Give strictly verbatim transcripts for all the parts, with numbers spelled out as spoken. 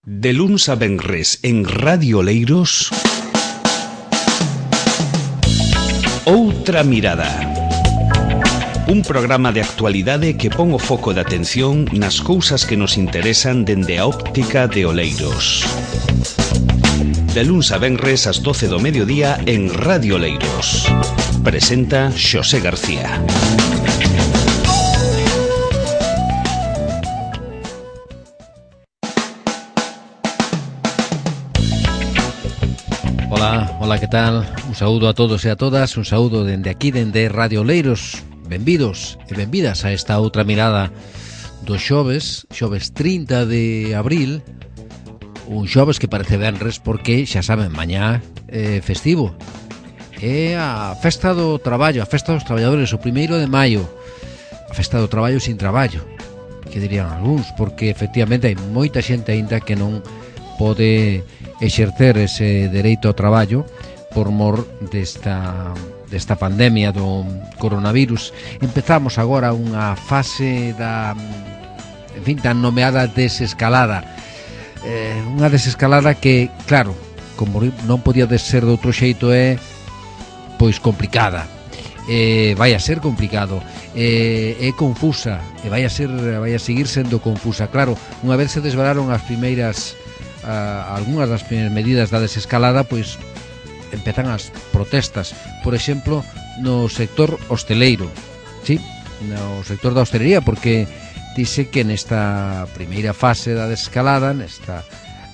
De luns a venres en Radio Oleiros, Outra Mirada. Un programa de actualidade que pon o foco de atención nas cousas que nos interesan dende a óptica de Oleiros. De luns a venres ás doce do mediodía en Radio Oleiros. Presenta Xosé García. Ola, ola, que tal? Un saúdo a todos e a todas, un saúdo dende aquí, dende Radio Oleiros. Benvidos e benvidas a esta outra mirada do xoves, xoves trinta de abril. Un xoves que parece venres porque, xa saben, mañá é festivo. É a festa do traballo, a festa dos traballadores, o primeiro de maio. A festa do traballo sin traballo, que dirían algúns, porque efectivamente hai moita xente aínda que non pode exercer ese dereito ao traballo por mor desta, desta pandemia do coronavirus. Empezamos agora unha fase da, en fin, tan nomeada desescalada. Eh, unha desescalada que, claro, como non podía ser de outro xeito, é pois complicada. Eh, vai a ser complicado, eh, é confusa e vai a ser, vai a seguir sendo confusa. Claro, unha vez se desvelaron as primeiras Uh, algunhas das primeiras medidas da desescalada, pois empezan as protestas, por exemplo, no sector hosteleiro, sí, no sector da hostelería, porque dice que nesta primeira fase da desescalada, nesta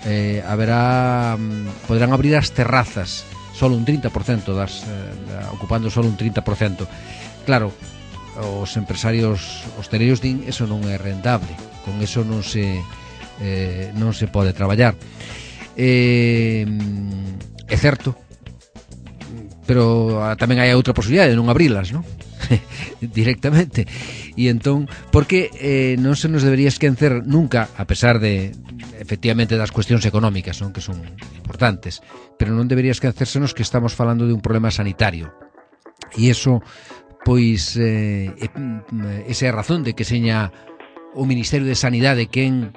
eh, haberá, poderán abrir as terrazas, solo un trinta por cento das, eh, da, ocupando solo un trinta por cento. Claro, os empresarios hosteleiros din eso non é rentable, con eso non se Eh, non se pode traballar. Eh, é certo, pero ah, tamén hai outra posibilidade de non abrilas, non? Directamente. E entón, porque eh, non se nos debería esquecer nunca, a pesar de, efectivamente, das cuestións económicas, non, que son importantes, pero non debería esquecersenos que estamos falando de un problema sanitario. E iso, pois, eh, esa é a razón de que seña o Ministerio de Sanidade quen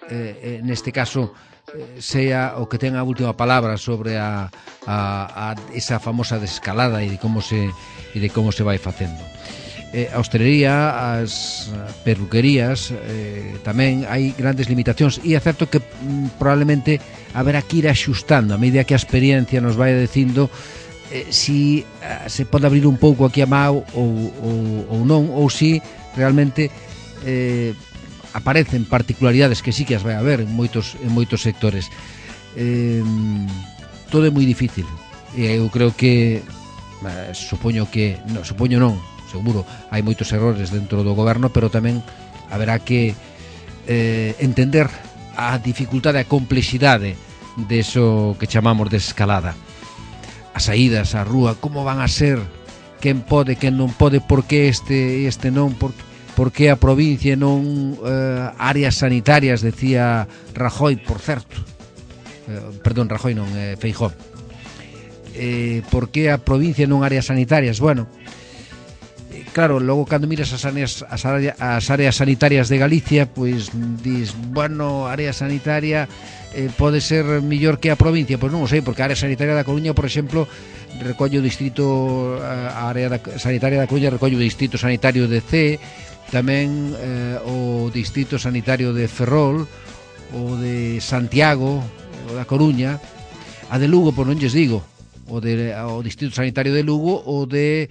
Eh, neste caso eh, sea o que ten a última palabra sobre a, a, a esa famosa desescalada e de como se e de como se vai facendo. Eh, a hostelería, as perruquerías, eh, tamén hai grandes limitacións e é certo que mm, probablemente haberá que ir axustando a medida que a experiencia nos vai dicindo eh, si eh, se pode abrir un pouco aquí a Mao ou, ou, ou non, ou si realmente eh, aparecen particularidades que sí que as vai haber en moitos, en moitos sectores. Eh, todo é moi difícil e eu creo que eh, supoño que no, supoño non, seguro hai moitos errores dentro do goberno, pero tamén haberá que eh, entender a dificultade, a complexidade deso que chamamos desescalada. As saídas á rúa, como van a ser, quen pode, quen non pode, por que este este non, por porque a provincia non eh, áreas sanitarias, decía Rajoy, por certo, eh, perdón, Rajoy non, eh, Feijóo, eh, porque a provincia non áreas sanitarias. Bueno, eh, claro, logo cando miras as áreas, as, áreas, as áreas sanitarias de Galicia, pois dis, bueno, área sanitaria eh, pode ser millor que a provincia. Pois non o sei, porque a área sanitaria da Coruña, por exemplo, recolle o distrito, a área da, sanitaria da Coruña recolle o distrito sanitario de C, tamén eh, o distrito sanitario de Ferrol, o de Santiago, o da Coruña, a de Lugo, por non lles digo, o, de, o distrito sanitario de Lugo, o de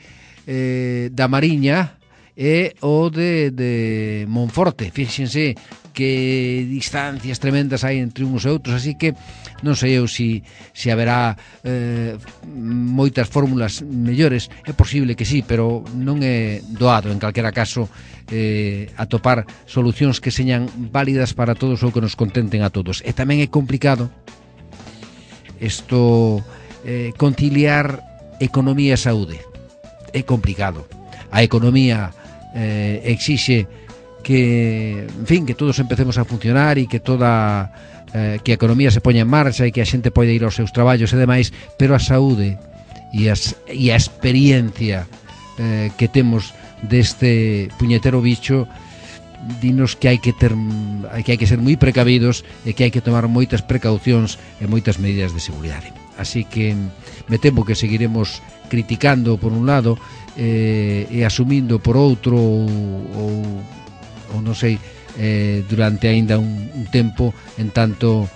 eh, da Mariña e o de, de Monforte. Fíxense que distancias tremendas hai entre uns e outros, así que non sei eu si, si haberá eh, moitas fórmulas mellores. É posible que sí, pero non é doado, en calquera caso, eh, atopar solucións que señan válidas para todos ou que nos contenten a todos. E tamén é complicado isto, eh, conciliar economía e saúde. É complicado. A economía eh, exixe que, en fin, que todos empecemos a funcionar e que toda eh, que a economía se poña en marcha e que a xente pode ir aos seus traballos e demais, pero a saúde e, as, e a experiencia eh, que temos deste puñetero bicho dinos que hai que ter que hai que ser moi precavidos e que hai que tomar moitas precaucións e moitas medidas de seguridade. Así que me temo que seguiremos criticando por un lado eh, e asumindo por outro ou, ou, ou non sei eh, durante aínda un, un tempo, en tanto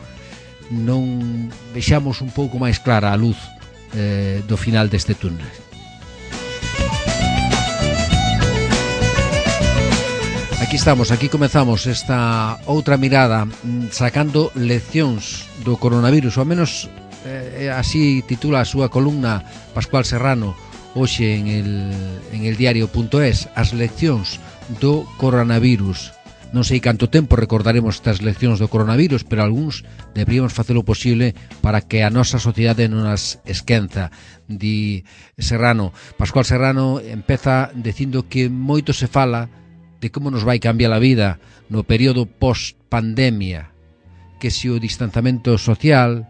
non vexamos un pouco máis clara a luz eh, do final deste túnel. Aquí estamos, aquí comezamos esta outra mirada, sacando leccións do coronavirus, ou ao menos eh, así titula a súa columna Pascual Serrano hoxe en el, en el diario punto es, as leccións do coronavirus. Non sei canto tempo recordaremos estas leccións do coronavirus, pero algúns deberíamos facelo posible para que a nosa sociedade non as esquenza. Di Serrano, Pascual Serrano empeza dicindo que moito se fala de como nos vai cambiar a vida no período post-pandemia, que se o distanciamento social,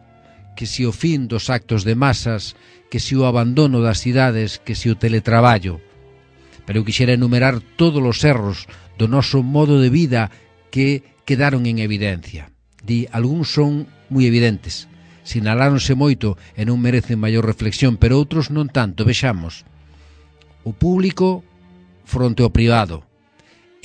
que se o fin dos actos de masas, que se o abandono das cidades, que se o teletraballo. Pero eu quixera enumerar todos os erros do noso modo de vida que quedaron en evidencia. Di, algúns son moi evidentes, sinaláronse moito e non merecen maior reflexión, pero outros non tanto. Vexamos. O público fronte ao privado.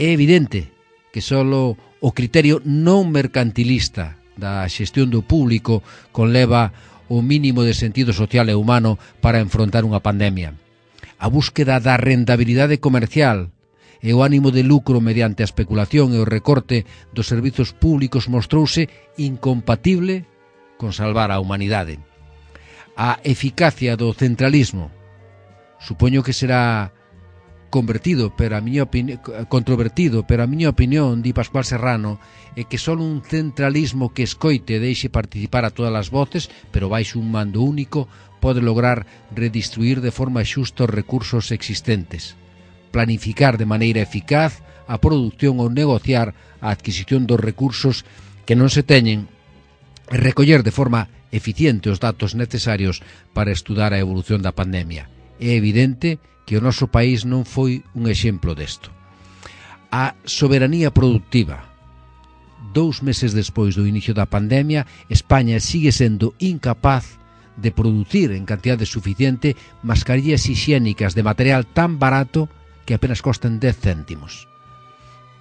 É evidente que só o criterio non mercantilista da xestión do público conleva o mínimo de sentido social e humano para enfrontar unha pandemia. A búsqueda da rentabilidade comercial e o ánimo de lucro mediante a especulación e o recorte dos servizos públicos mostrouse incompatible con salvar a humanidade. A eficacia do centralismo supoño que será convertido, pero a miña opinión, controvertido, pero a miña opinión, di Pascual Serrano, é que só un centralismo que escoite e deixe participar a todas as voces, pero baixo un mando único, pode lograr redistribuir de forma xusta os recursos existentes, planificar de maneira eficaz a produción ou negociar a adquisición dos recursos que non se teñen e recoller de forma eficiente os datos necesarios para estudar a evolución da pandemia. É evidente que o noso país non foi un exemplo desto. A soberanía productiva. Dous meses despois do inicio da pandemia, España sigue sendo incapaz de producir en cantidade suficiente mascarillas hixiénicas de material tan barato que apenas costan dez céntimos.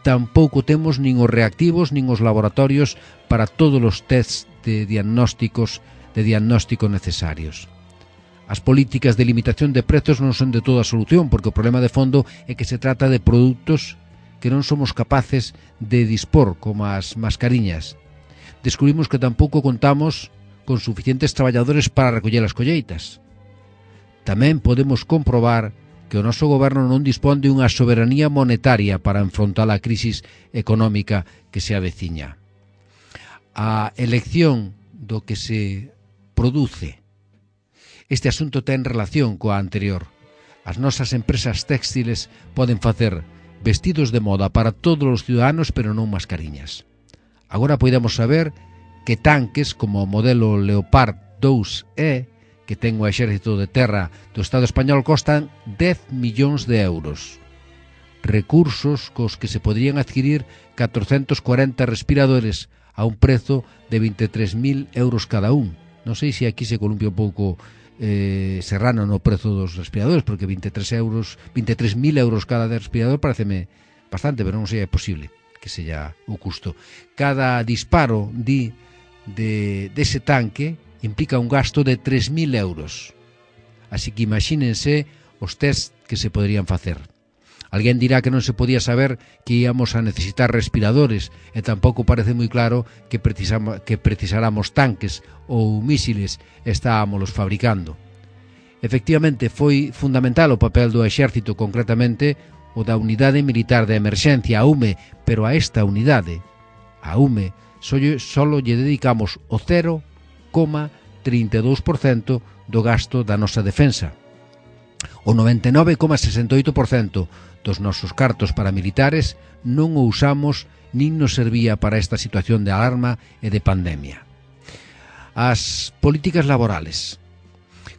Tampouco temos nin os reactivos nin os laboratorios para todos os tests de diagnósticos de diagnóstico necesarios. As políticas de limitación de prezos non son de toda a solución, porque o problema de fondo é que se trata de produtos que non somos capaces de dispor, como as mascariñas. Descubrimos que tampouco contamos con suficientes traballadores para recoller as colleitas. Tamén podemos comprobar que o noso goberno non dispón de unha soberanía monetaria para enfrontar a crisis económica que se aveciña. A elección do que se produce. Este asunto ten relación coa anterior. As nosas empresas téxtiles poden facer vestidos de moda para todos os ciudadanos, pero non mascariñas. Agora podemos saber que tanques como o modelo Leopard dous E, que ten o exército de terra do Estado español, costan dez millóns de euros. Recursos cos que se poderían adquirir catrocentos cuarenta respiradores a un prezo de veintitrés mil euros cada un. Non sei se aquí se columpia un pouco Eh, Serrano no prezo dos respiradores, porque veintitrés euros, veintitrés mil euros cada respirador pareceme bastante, pero non sei, é posible que sella o custo. Cada disparo di de dese tanque implica un gasto de tres mil euros. Así que imagínense os test que se poderían facer. Alguén dirá que non se podía saber que íamos a necesitar respiradores e tampouco parece moi claro que, precisamos, que precisáramos tanques ou mísiles e estábamos fabricando. Efectivamente, foi fundamental o papel do exército, concretamente o da Unidade Militar de Emerxencia, a U M E, pero a esta unidade, a U M E, solo lle dedicamos o cero coma trinta e dous por cento do gasto da nosa defensa. O noventa e nove coma sesenta e oito por cento dos nosos cartos paramilitares non o usamos nin nos servía para esta situación de alarma e de pandemia. As políticas laborales.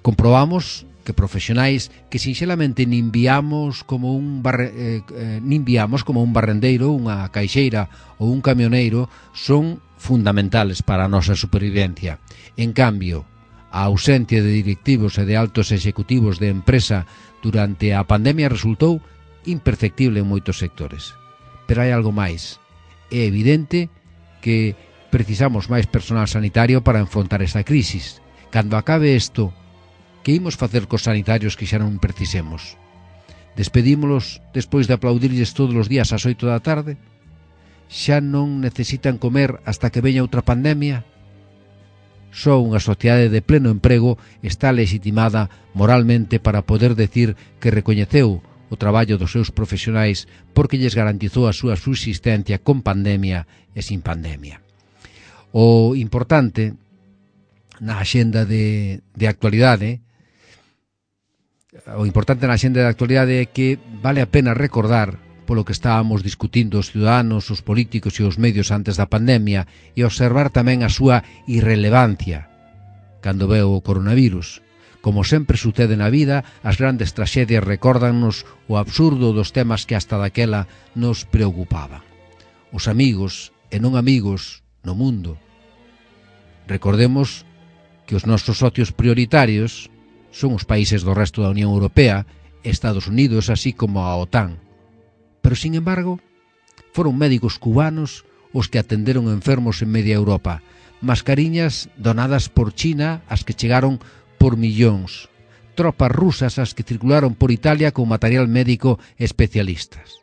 Comprobamos que profesionais que sinxelamente nin viamos como un barre, eh, eh, nin viamos como un barrendeiro, unha caixeira ou un camioneiro son fundamentales para a nosa supervivencia. En cambio, a ausencia de directivos e de altos executivos de empresa durante a pandemia resultou imperceptible en moitos sectores. Pero hai algo máis. É evidente que precisamos máis personal sanitario para enfrontar esta crisis. Cando acabe isto, que imos facer cos sanitarios que xa non precisemos? Despedímolos despois de aplaudirlles todos os días ás oito da tarde? Xa non necesitan comer hasta que veña outra pandemia? Só unha sociedade de pleno emprego está legitimada moralmente para poder decir que recoñeceu o traballo dos seus profesionais porque lles garantizou a súa subsistencia con pandemia e sin pandemia. O importante na axenda de, de actualidade o importante na xenda de actualidade é que vale a pena recordar polo que estábamos discutindo os ciudadanos, os políticos e os medios antes da pandemia e observar tamén a súa irrelevancia cando veo o coronavirus. Como sempre sucede na vida, as grandes traxedias recórdannos o absurdo dos temas que hasta daquela nos preocupaban. Os amigos e non amigos no mundo. Recordemos que os nosos socios prioritarios son os países do resto da Unión Europea, Estados Unidos, así como a OTAN. Pero, sin embargo, foron médicos cubanos os que atenderon enfermos en media Europa, mascariñas donadas por China as que chegaron por millóns, tropas rusas as que circularon por Italia con material médico e especialistas.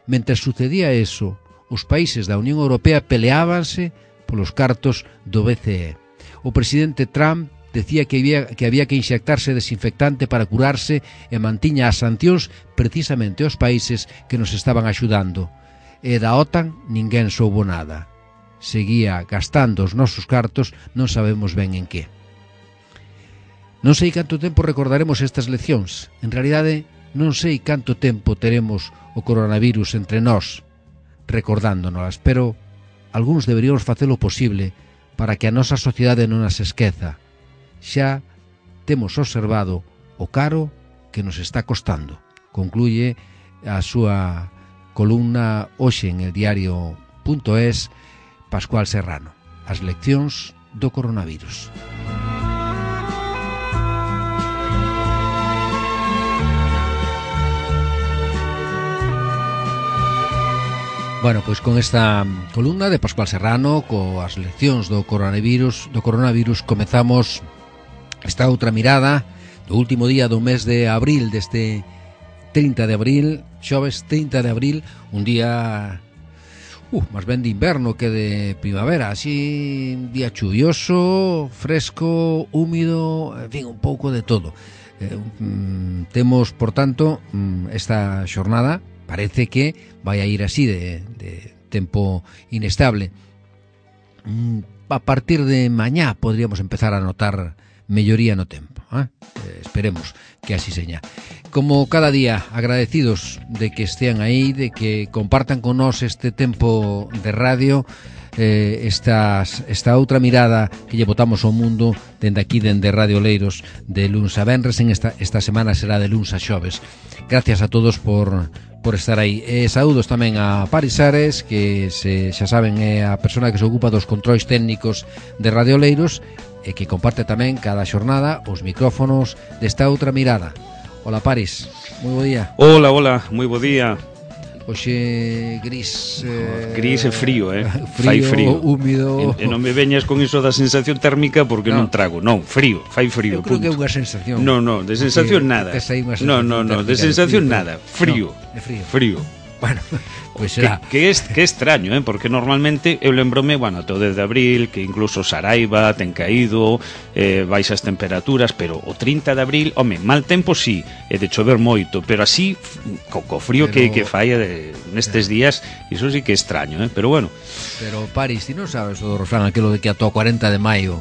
Mentre sucedía eso, os países da Unión Europea peleábanse polos cartos do B C E. O presidente Trump decía que había, que había que inxectarse desinfectante para curarse e mantiña as sancións precisamente aos países que nos estaban axudando. E da OTAN ninguén soubo nada. Seguía gastando os nosos cartos, non sabemos ben en que. Non sei canto tempo recordaremos estas leccións. En realidade, non sei canto tempo teremos o coronavirus entre nós, recordándonos, pero algúns deberíamos facelo posible para que a nosa sociedade non as esqueza. Xa temos observado o caro que nos está costando. Concluye a súa columna hoxe en el diario punto es Pascual Serrano. As leccións do coronavirus. Bueno, pois con esta columna de Pascual Serrano coas leccións do coronavirus, do coronavirus comezamos esta outra mirada do último día do mes de abril, deste trinta de abril, xoves trinta de abril, un día uh, máis ben de inverno que de primavera, así un día chuvioso, fresco, húmido, en fin, un pouco de todo. Eh, um, temos, por tanto, um, esta xornada parece que vai a ir así de, de tempo inestable. A partir de mañá podríamos empezar a notar melloría no tempo, ¿eh? Eh, esperemos que así seña. Como cada día, agradecidos de que estean aí, de que compartan con nós este tempo de radio, eh, estas, esta outra mirada que lle botamos ao mundo dende aquí, dende Radio Oleiros, de luns a venres. En esta, esta semana será de luns a xoves. Gracias a todos por por estar aí. E saúdos tamén a Paris Ares, que se, xa saben é a persona que se ocupa dos controis técnicos de Radio Oleiros e que comparte tamén cada xornada os micrófonos desta outra mirada. Hola Paris, moi bo día. Hola, hola, moi bo día. Oxe gris eh, Gris e frío, eh frío, fai frío, húmido. E, e non me veñas con iso da sensación térmica porque no. non trago, non, frío, fai frío. Eu creo punto. que é unha sensación. No, no, de sensación nada. No, no, no, de sensación nada, frío. No, de frío. Frío. Bueno, pois pues será. Que, que, es, que extraño, eh? Porque normalmente eu lembrome, bueno, todo desde abril, que incluso Saraiva ten caído, eh, baixas temperaturas, pero o trinta de abril, home, mal tempo sí, e de chover moito, pero así, co, co frío pero... que, que fai de, nestes días, iso sí que é extraño, eh? Pero bueno. Pero Paris, ti non sabes o do refrán aquilo de que ata o cuarenta de maio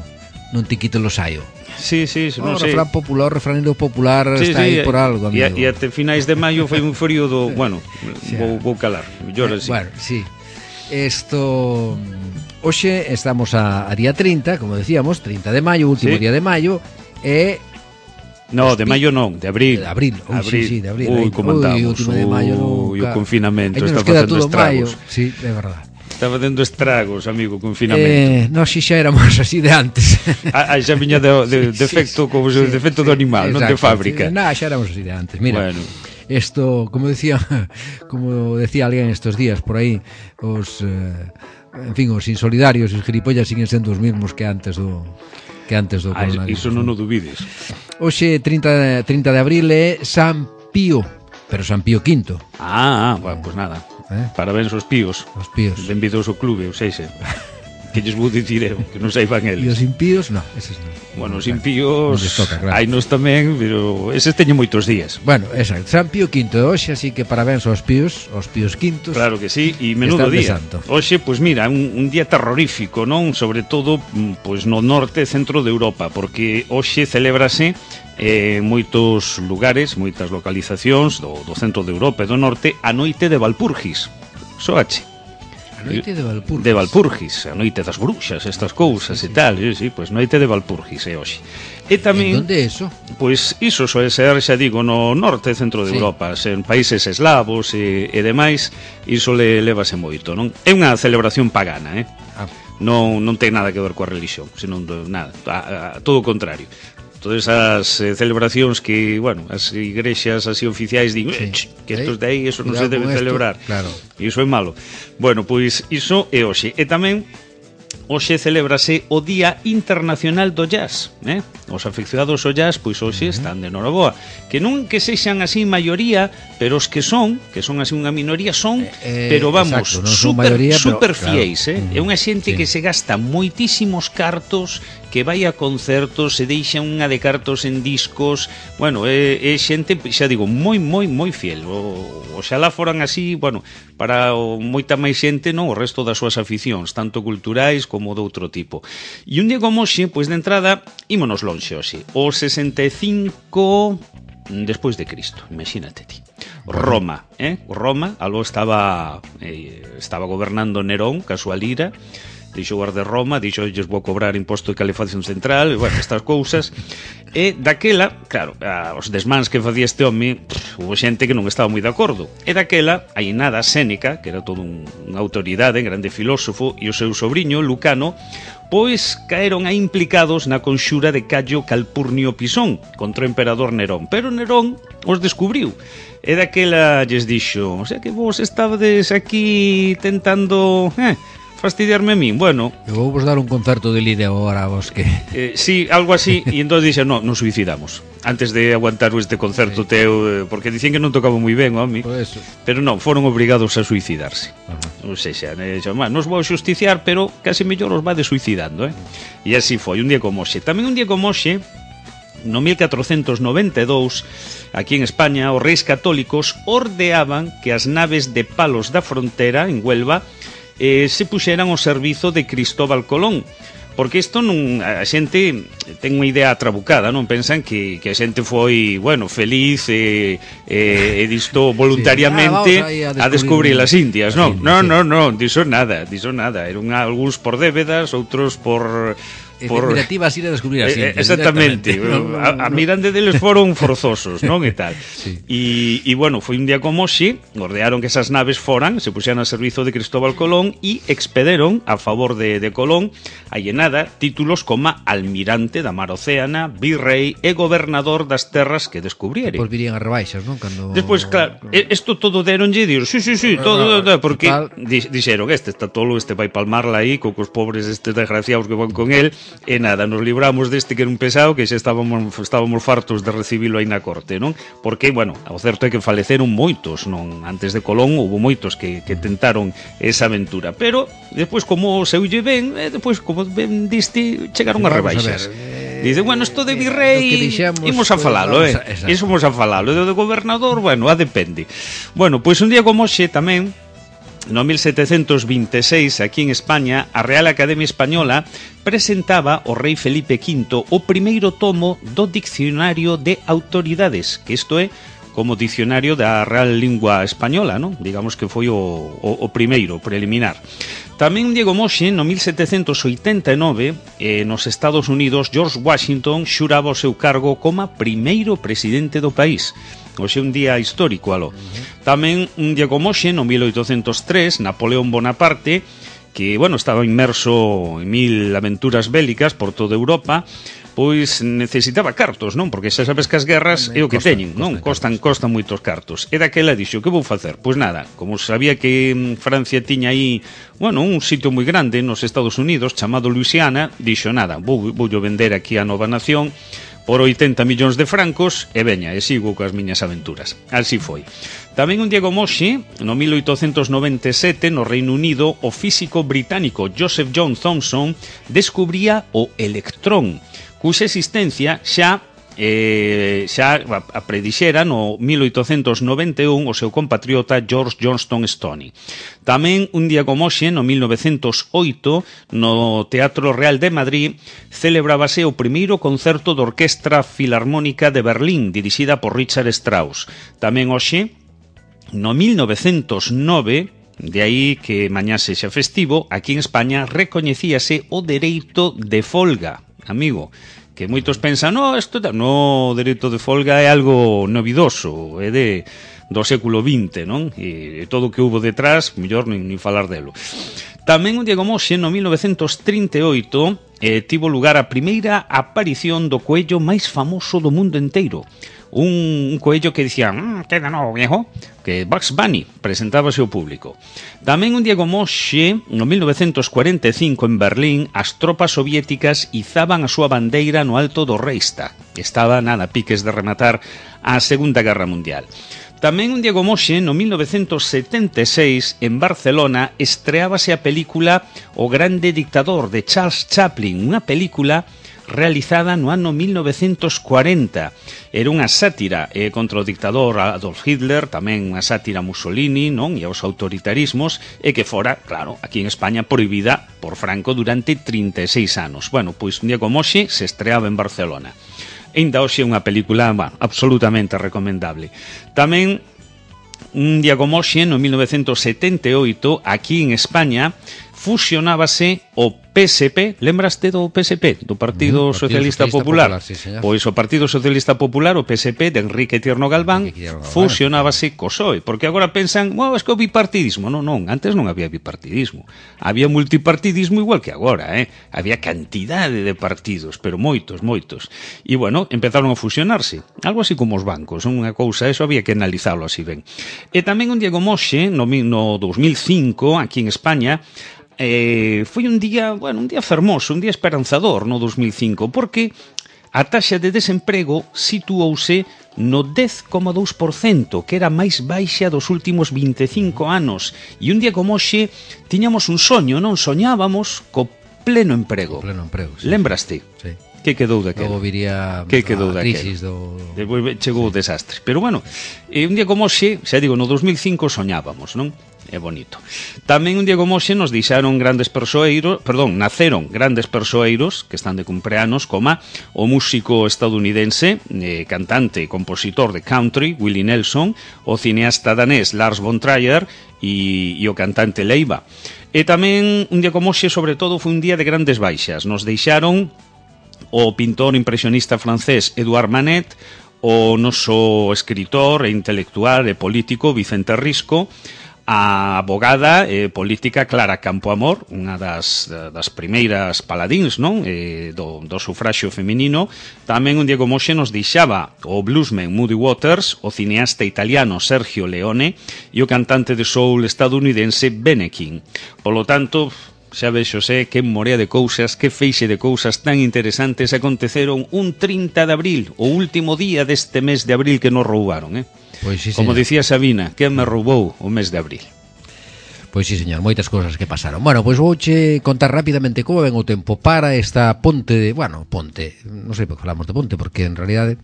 non te quite lo saio. Sí, sí, non o sei. O refrán popular, o refranero popular sí, está sí, aí por algo, amigo. E até finais de maio foi un frío do, bueno, sí, vou, vou calar. Mellor así. Bueno, sí. Esto hoxe estamos a, a día trinta, como decíamos, trinta de maio, último sí. día de maio, e No, de maio non, de abril. De abril, ui, abril. sí, sí, de abril. Ui, como andamos. Ui, o último de maio, ui, o confinamento está facendo estragos. Maio. Sí, é verdade. Está facendo estragos, amigo, o confinamento. Eh, nós xa éramos así de antes. Ah, xa viña de, de, de defecto, como sí, de defecto sí, do animal, non de fábrica. No, xa éramos así de antes. Mira, bueno. Esto, como decía, como decía alguén estos días por aí, os, eh, en fin, os insolidarios e os gilipollas siguen sendo os mismos que antes do que antes do ah, coronavirus. Iso non o dubides. Hoxe trinta, trinta de abril é San Pío, pero San Pío quinto. Ah, ah, bueno, pues nada. Eh? Parabéns aos píos. Os píos. Benvidos ao clube, ou seja, que lles vou dicir eu, que non saiban eles. E os impíos, non, eses non. Bueno, os impíos, claro. hai nos tamén, pero eses teñen moitos días. Bueno, exacto, San Pío quinto de hoxe, así que parabéns aos píos, aos píos quintos. Claro que sí, e menudo día. Hoxe, pois pues mira, un, un día terrorífico, non? Sobre todo, pois pues, no norte e centro de Europa, porque hoxe celébrase eh, moitos lugares, moitas localizacións do, do centro de Europa e do norte, a noite de Valpurgis. Soache. A noite de Valpurgis. De Valpurgis, a noite das bruxas, estas cousas sí, sí, e tal, sí, sí, pois noite de Valpurgis é hoxe. E tamén, en onde é iso? Pois iso soe ser, xa digo, no norte e centro de sí. Europa, en países eslavos e, e demais, iso le levase moito, non? É unha celebración pagana, eh? Ah. Non, non ten nada que ver coa religión, senón nada, a, a, todo o contrario. Todas as eh, celebracións que, bueno, as igrexas así oficiais din, sí. que estos de aí, eso non se debe celebrar. Claro. E iso é malo. Bueno, pois iso é hoxe. E tamén hoxe celébrase o Día Internacional do Jazz, eh? Os afeccionados ao jazz, pois hoxe están de noraboa. Que non que sexan así maioría, pero os que son, que son así unha minoría, son, eh, pero vamos, exacto, super, maioría, super pero, fiéis, claro. eh? É unha xente sí. que se gasta moitísimos cartos, que vai a concertos, se deixa unha de cartos en discos, bueno, é, é xente, xa digo, moi, moi, moi fiel. O, oxalá foran así, bueno, para o, moita máis xente, non, o resto das súas aficións, tanto culturais como de outro tipo. E un día como hoxe, pois de entrada, ímonos lonxe hoxe, o sesenta e cinco despois de Cristo, imagínate ti. Roma, eh? Roma, algo estaba eh, estaba gobernando Nerón, ca súa lira, dixo guarda Roma, dixo lles vou cobrar imposto de calefacción central, e, bueno, estas cousas. E daquela, claro, a, os desmans que facía este home, pff, hubo xente que non estaba moi de acordo. E daquela, aí nada, Séneca, que era todo un, unha autoridade, un grande filósofo, e o seu sobrinho, Lucano, pois caeron aí implicados na conxura de Cayo Calpurnio Pisón contra o emperador Nerón. Pero Nerón os descubriu. E daquela lles dixo, o sea que vos estabades aquí tentando... Eh, fastidiarme a min, bueno... Eu vou vos dar un concerto de lira agora a vos que... Eh, sí, algo así, e entón dixe, no, nos suicidamos antes de aguantar este concerto sí. teu, porque dicían que non tocaba moi ben, home, pero non, foron obrigados a suicidarse. Non sei xa, eh, xa nos vou xusticiar, pero casi mellor os vade suicidando, eh? E así foi, un día como hoxe. Tamén un día como hoxe, no mil catrocentos noventa e dous, aquí en España, os reis católicos ordeaban que as naves de Palos da Frontera, en Huelva, Eh, se puxeran ao servizo de Cristóbal Colón, porque isto non, a xente ten unha idea trabucada, non pensan que, que a xente foi, bueno, feliz e, e, e disto voluntariamente sí. ah, a, a descubrir as Indias, non, non, non, non, diso nada, diso nada, eran algúns por débedas, outros por... por definitiva así de descubrir así. Eh, exactamente. A, a mirande deles foron forzosos, non? E tal. Sí. E, e bueno, foi un día como hoxe, ordearon que esas naves foran, se puxeran a servizo de Cristóbal Colón e expederon a favor de, de Colón a llenada títulos como almirante da mar océana, virrei e gobernador das terras que descubriere. Depois virían as rebaixas, non? Cando... Despois, claro, isto todo deronlle e dir, sí, sí, sí, todo, todo, porque dixeron, este está tolo, este vai palmarla aí, co cos pobres estes desgraciados que van con el. E nada, nos libramos deste que era un pesado que xa estábamos estábamos fartos de recibilo aí na corte, non? Porque, bueno, o certo é que faleceron moitos, non? Antes de Colón houve moitos que, que tentaron esa aventura, pero despois como seulle ben, e despois como ben diste, chegaron as rebaixas. Dice, bueno, isto de virrei imos a falalo, eh? Imos a falalo, e do de gobernador, bueno, a depende. Bueno, pois un día como hoxe tamén, no mil setecentos vinte e seis, aquí en España, a Real Academia Española presentaba ao rei Felipe quinto o primeiro tomo do Dicionario de Autoridades, que isto é como dicionario da Real Lingua Española, non? Digamos que foi o, o, o primeiro, preliminar. Tamén Diego Moxe, no mil setecentos oitenta e nove, eh, nos Estados Unidos, George Washington xuraba o seu cargo como primeiro presidente do país. Hoxe é un día histórico, aló. Tamén un Diego Moxe, no mil oitocentos tres, Napoleón Bonaparte, que, bueno, estaba inmerso en mil aventuras bélicas por toda Europa, pois necesitaba cartos, non? Porque xa sabes que as guerras é o que teñen, non? Costan, costan moitos cartos. E daquela dixo, que vou facer? Pois nada, como sabía que Francia tiña aí, bueno, un sitio moi grande nos Estados Unidos, chamado Luisiana, dixo, nada, vou, vou vender aquí a nova nación por oitenta millóns de francos e veña, e sigo coas miñas aventuras. Así foi. Tamén un Diego Moxe, no mil oitocentos noventa e sete, no Reino Unido, o físico británico Joseph John Thomson descubría o electrón, cuxa existencia xa eh, xa a predixera no mil oitocentos noventa e un o seu compatriota George Johnstone Stoney. Tamén un Diego Moxe, no mil novecentos oito, no Teatro Real de Madrid, celebrábase o primeiro concerto da Orquestra Filarmónica de Berlín, dirixida por Richard Strauss. Tamén hoxe, no mil novecentos nove, de aí que mañá sexa festivo, aquí en España recoñecíase o dereito de folga. Amigo, que moitos pensan, no, isto no, o dereito de folga é algo novidoso, é de do século vinte, non? E todo o que hubo detrás, mellor nin, nin falar delo. Tamén o Diego Moxe, no mil novecentos trinta e oito, eh, tivo lugar a primeira aparición do coello máis famoso do mundo inteiro. Un, un coello que dicía, mmm, queda novo, viejo, que Bugs Bunny presentábase ao público. Tamén un Diego Moxe, no mil novecentos cuarenta e cinco, en Berlín, as tropas soviéticas izaban a súa bandeira no alto do Reichstag. Estaba, nada, piques de rematar a Segunda Guerra Mundial. Tamén un Diego Moxe, no mil novecentos setenta e seis, en Barcelona, estreábase a película O Grande Dictador, de Charles Chaplin, unha película realizada no ano mil novecentos cuarenta. Era unha sátira eh, contra o dictador Adolf Hitler, tamén unha sátira a Mussolini, non? E aos autoritarismos, e que fora, claro, aquí en España prohibida por Franco durante trinta e seis anos. Bueno, pois un Diego Moxe se estreaba en Barcelona. Ainda hoxe é unha película, bueno, absolutamente recomendable. Tamén un Diego Moxe, no mil novecentos setenta e oito, aquí en España, fusionábase o P S P, lembraste do P S P, do Partido, mm, Socialista, Socialista Popular? Popular sí, pois o Partido Socialista Popular, o P S P de Enrique Tierno Galván, fusionábase co P S O E, porque agora pensan, wow, es que o bipartidismo. Non, non, antes non había bipartidismo. Había multipartidismo igual que agora, eh? Había cantidade de partidos, pero moitos, moitos. E, bueno, empezaron a fusionarse. Algo así como os bancos, unha cousa, eso había que analizarlo así ben. E tamén un Diego Moxe, no, no dos mil cinco, aquí en España, Eh, foi un día, bueno, un día fermoso, un día esperanzador no dos mil cinco, porque a taxa de desemprego situouse no dez coma dous por cento, que era máis baixa dos últimos vinte e cinco anos. E un día como hoxe tiñamos un soño, non? Soñábamos co pleno emprego. Pleno emprego, sí. Lembraste? Sí. Que quedou daquela? Logo viría que quedou a crisis daquela? do... Depois chegou sí. o desastre. Pero bueno, eh, un día como hoxe, xa digo, no dos mil cinco soñábamos, non? É bonito. Tamén un Diego Moxe nos deixaron grandes persoeiros, perdón, naceron grandes persoeiros que están de cumpleanos, como o músico estadounidense, eh, cantante e compositor de country, Willie Nelson, o cineasta danés Lars von Trier e, e o cantante Leiva. E tamén un Diego Moxe, sobre todo, foi un día de grandes baixas. Nos deixaron o pintor impresionista francés Edouard Manet, o noso escritor e intelectual e político Vicente Risco, a abogada e política Clara Campoamor, unha das, das primeiras paladíns, non? E do, do sufraxio feminino. Tamén un Diego Moxe nos deixaba o bluesman Muddy Waters, o cineasta italiano Sergio Leone e o cantante de soul estadounidense Bene King. Polo tanto, xa vexo sé que morea de cousas, que feixe de cousas tan interesantes aconteceron un trinta de abril, o último día deste mes de abril que nos roubaron, eh? Pois sí, como señor. dicía Sabina, que me roubou o mes de abril. Pois sí, señor, moitas cousas que pasaron. Bueno, pois vouche contar rapidamente como ven o tempo para esta ponte de... Bueno, ponte, non sei por que falamos de ponte, porque en realidade...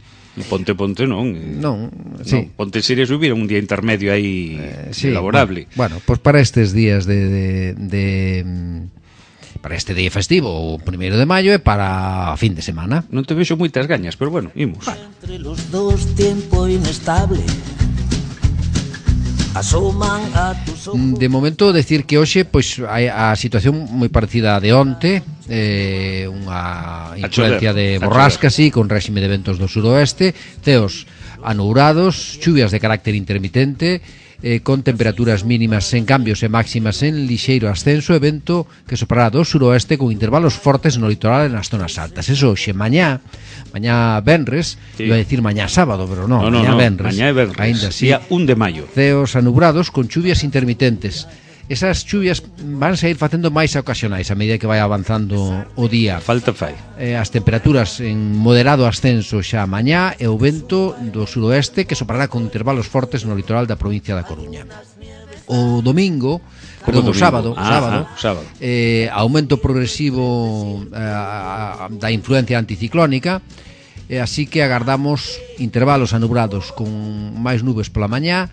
Ponte, ponte non. Non, sí. No, ponte sería subir un día intermedio aí eh, sí, laborable. Bueno, pois para estes días de... de, de para este día festivo, o primeiro de maio, e para fin de semana. Non te vexo moitas gañas, pero bueno, imos. Entre los dos tiempo inestable, De momento, decir que hoxe pois hai a situación moi parecida a de onte, eh, unha influencia de borrasca, sí, con réxime de ventos do suroeste, ceos anubrados, chuvias de carácter intermitente, eh, con temperaturas mínimas sen cambios e máximas en lixeiro ascenso e vento que soprará do suroeste con intervalos fortes no litoral e nas zonas altas. Eso hoxe, mañá, mañá venres, sí. Iba a decir mañá sábado, pero no, no, mañá no, venres, mañá é venres, ainda así, día un de maio. Ceos anubrados con chuvias intermitentes. Esas chuvias van a ir facendo máis ocasionais a medida que vai avanzando o día. Falta fai. Eh, as temperaturas en moderado ascenso xa mañá e o vento do suroeste que soprará con intervalos fortes no litoral da provincia da Coruña. O domingo, perdón, o sábado, ah, sábado, ah, sábado. Eh, aumento progresivo eh, da influencia anticiclónica, eh, así que agardamos intervalos anubrados con máis nubes pola mañá.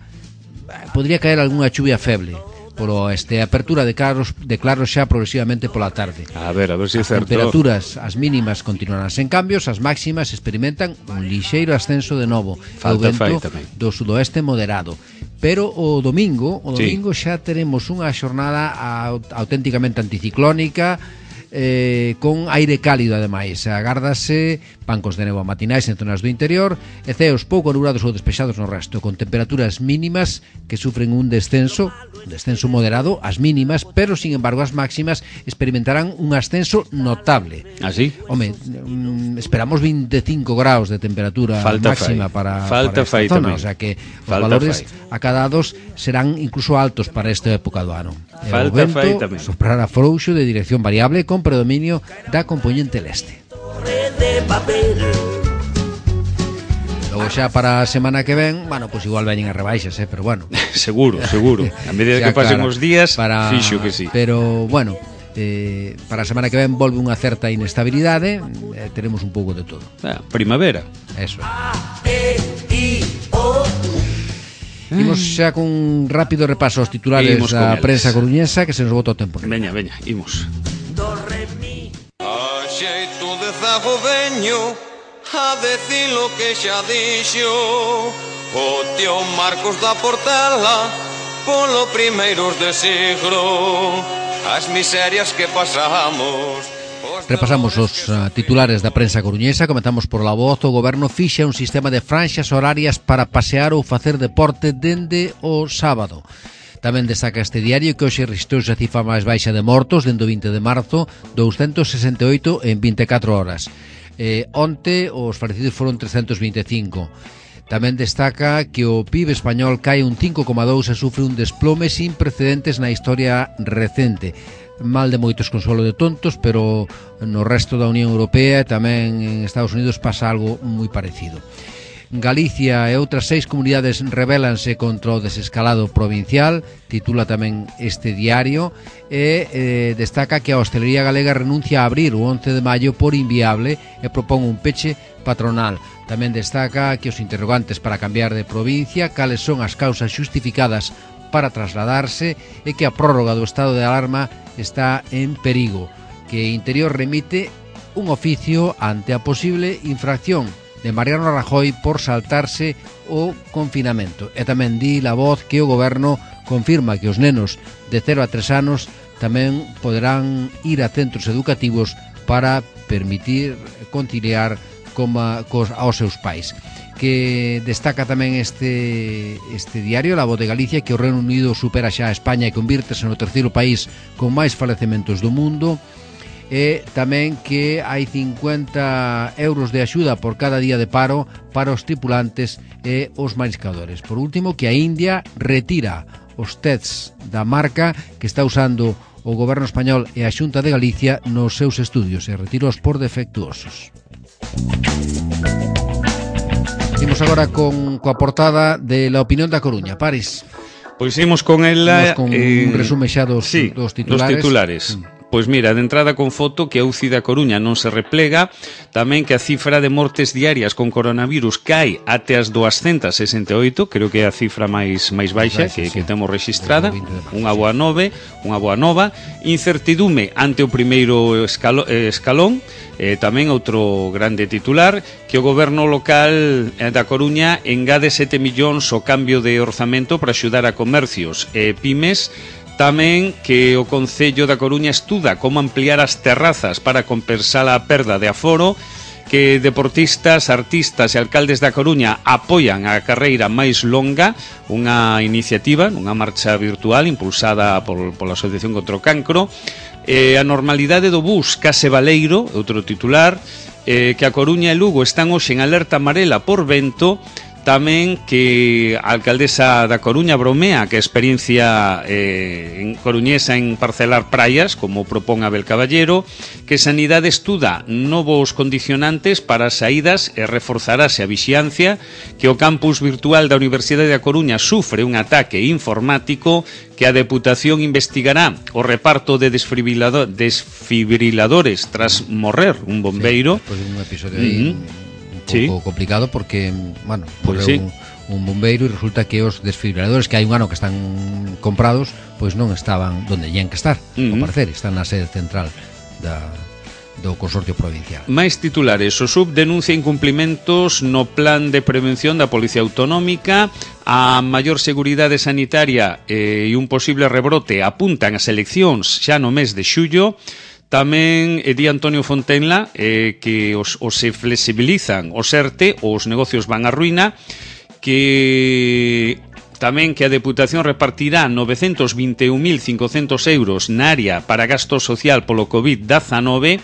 Podría caer algunha chuvia feble polo este, apertura de claros, de claros xa progresivamente pola tarde. A ver, a ver se si é certo. As temperaturas, as mínimas continuarán sen cambios, as máximas experimentan un lixeiro ascenso de novo. Falta o vento tamén. Do sudoeste moderado. Pero o domingo, o domingo sí. Xa teremos unha xornada auténticamente anticiclónica, eh, con aire cálido ademais. Agárdase bancos de néboa matinais en zonas do interior e ceos pouco anubrados ou despexados no resto, con temperaturas mínimas que sufren un descenso un descenso moderado, as mínimas, pero sin embargo as máximas experimentarán un ascenso notable. ¿Así? Home, mm, esperamos veinticinco graus de temperatura Falta máxima fai. para, Falta para esta fai zona, tamén. o sea que os Falta valores fai. acadados serán incluso altos para esta época do ano. E Falta o vento fai tamén. soprará frouxo de dirección variable con predominio da componente leste. Logo xa para a semana que ven, bueno, pois pues igual veñen as rebaixas, eh, pero bueno. Seguro, seguro. A medida que pasen claro, os días, para... fixo que sí. Pero, bueno, eh, para a semana que ven volve unha certa inestabilidade, eh, teremos un pouco de todo. Ah, primavera. Eso. Imos xa cun rápido repaso aos titulares da prensa coruñesa, que se nos bota o tempo. Veña, veña, imos. A xeito de zago veño a decir lo que xa dixo o tío Marcos da Portela polo primeiros de siglo, as miserias que pasamos. Repasamos os uh, titulares da prensa coruñesa. Comentamos por La Voz. O goberno fixa un sistema de franxas horarias para pasear ou facer deporte dende o sábado. Tamén destaca este diario que hoxe registrouse a cifra máis baixa de mortos dende o vinte de marzo, doscientos sesenta e oito en vinte e catro horas. Eh, onte os falecidos foron trescentos vinte e cinco. Tamén destaca que o P I B español cae un cinco coma dous e sufre un desplome sin precedentes na historia recente. Mal de moitos consuelo de tontos, pero no resto da Unión Europea e tamén en Estados Unidos pasa algo moi parecido. Galicia e outras seis comunidades rebélanse contra o desescalado provincial, titula tamén este diario, e eh, destaca que a hostelería galega renuncia a abrir o once de maio por inviable e propón un peche patronal. Tamén destaca que os interrogantes para cambiar de provincia, cales son as causas xustificadas para trasladarse e que a prórroga do estado de alarma está en perigo, que Interior remite un oficio ante a posible infracción de Mariano Rajoy por saltarse o confinamento. E tamén di La Voz que o goberno confirma que os nenos de cero a tres anos tamén poderán ir a centros educativos para permitir conciliar coma, cos, aos seus pais. Que destaca tamén este, este diario, La Voz de Galicia, que o Reino Unido supera xa a España e convírtese no terceiro país con máis falecementos do mundo. E tamén que hai cincuenta euros de axuda por cada día de paro para os tripulantes e os mariscadores. Por último, que a India retira os tests da marca que está usando o goberno español e a Xunta de Galicia nos seus estudios e retiros por defectuosos. Imos agora con coa portada de La Opinión da Coruña. Paris. Pois imos con ela imos con eh, un resume xa dos, sí, dos titulares, dos titulares. Mm. Pois mira, de entrada con foto que a U C I da Coruña non se replega, tamén que a cifra de mortes diarias con coronavirus cai até as duascentas sesenta e oito, creo que é a cifra máis máis baixa que, que temos registrada, unha boa nove, unha boa nova, incertidume ante o primeiro escalo, eh, escalón, eh, tamén outro grande titular, que o goberno local eh, da Coruña engade sete millóns ao cambio de orzamento para axudar a comercios e pymes. Tamén que o Concello da Coruña estuda como ampliar as terrazas para compensar a perda de aforo, que deportistas, artistas e alcaldes da Coruña apoian a carreira máis longa, unha iniciativa, unha marcha virtual impulsada por, pola Asociación contra o Cancro, eh, a normalidade do bus Case Baleiro, outro titular, eh, que a Coruña e Lugo están hoxe en alerta amarela por vento. Tamén que a alcaldesa da Coruña bromea que a experiencia eh, en coruñesa en parcelar praias, como propón Abel Caballero, que Sanidade estuda novos condicionantes para as saídas e reforzarase a vixiancia, que o campus virtual da Universidade da Coruña sufre un ataque informático, que a Deputación investigará o reparto de desfibrilador, desfibriladores tras morrer un bombeiro. Sí, despois de un episodio aí... Uh-huh. Sí. Un pouco complicado porque, bueno, pues sí. un, un bombeiro e resulta que os desfibriladores que hai un ano que están comprados, pois non estaban onde teñen que estar, uh-huh. ao parecer, están na sede central da, do Consorcio Provincial. Mais titulares, o S U B denuncia incumplimentos no plan de prevención da Policía Autonómica, a maior seguridade sanitaria eh, e un posible rebrote apuntan as eleccións xa no mes de xullo. Tamén eh, di Antonio Fontenla eh, que os, os se flexibilizan os ERTE, os negocios van á ruína, que tamén que a Deputación repartirá novecentos vinte e un mil cincocentos euros na área para gasto social polo covid dezanove.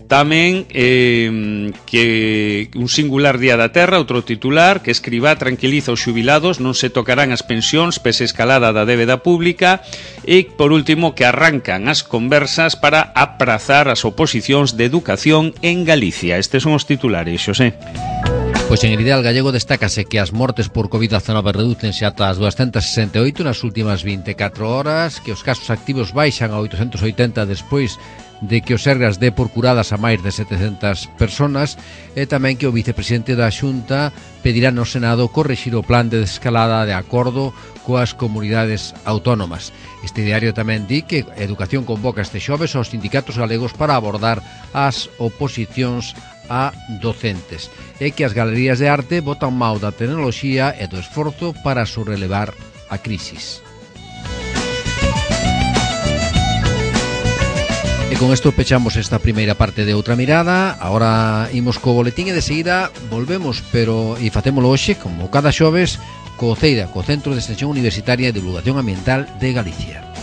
Tamén eh, que un singular día da terra, outro titular, que Escribá tranquiliza os xubilados, non se tocarán as pensións pese escalada da débeda pública, e por último que arrancan as conversas para aprazar as oposicións de educación en Galicia. Estes son os titulares, Xosé. Pois en el ideal gallego destácase que as mortes por covid dezanove redúcense ata as duascentas sesenta e oito nas últimas vinte e catro horas, que os casos activos baixan a oitocentos oitenta despois de que o Sergas dé por curadas a máis de setecentas personas, e tamén que o vicepresidente da Xunta pedirá no Senado correxir o plan de desescalada de acordo coas comunidades autónomas. Este diario tamén di que Educación convoca este xoves aos sindicatos galegos para abordar as oposicións a docentes, e que as galerías de arte botan mau da tecnoloxía e do esforzo para sobrelevar a crisis. E con isto pechamos esta primeira parte de Outra Mirada. Ahora imos co boletín e de seguida volvemos, pero e facémolo hoxe, como cada xoves, co CEIDA, co Centro de Extensión Universitaria e Divulgación Ambiental de Galicia.